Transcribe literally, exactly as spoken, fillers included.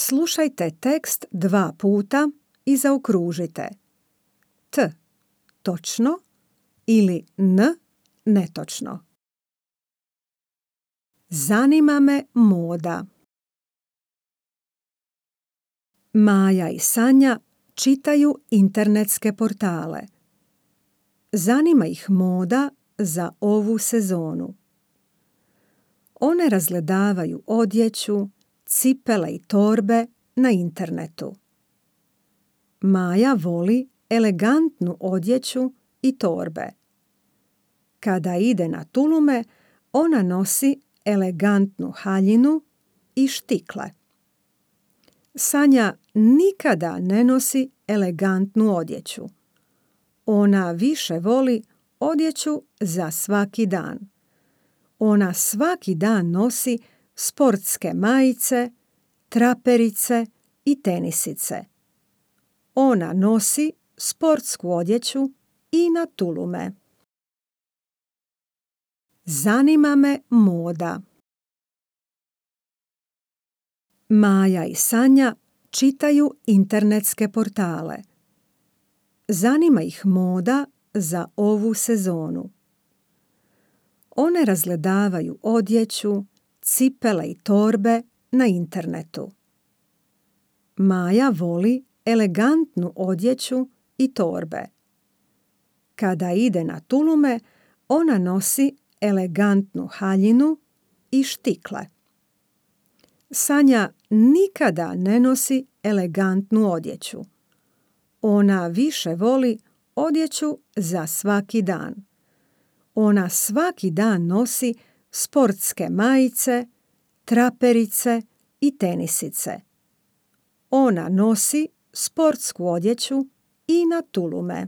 Slušajte tekst dva puta i zaokružite T točno ili N netočno. Zanima me moda. Maja i Sanja čitaju internetske portale. Zanima ih moda za ovu sezonu. One razgledavaju odjeću, cipele i torbe na internetu. Maja voli elegantnu odjeću i torbe. Kada ide na tulume, ona nosi elegantnu haljinu i štikle. Sanja nikada ne nosi elegantnu odjeću. Ona više voli odjeću za svaki dan. Ona svaki dan nosi sportske majice, traperice i tenisice. Ona nosi sportsku odjeću i na tulume. Zanima me moda. Maja i Sanja čitaju internetske portale. Zanima ih moda za ovu sezonu. One razgledavaju odjeću, cipele i torbe na internetu. Maja voli elegantnu odjeću i torbe. Kada ide na tulume, ona nosi elegantnu haljinu i štikle. Sanja nikada ne nosi elegantnu odjeću. Ona više voli odjeću za svaki dan. Ona svaki dan nosi sportske majice, traperice i tenisice. Ona nosi sportsku odjeću i na tulume.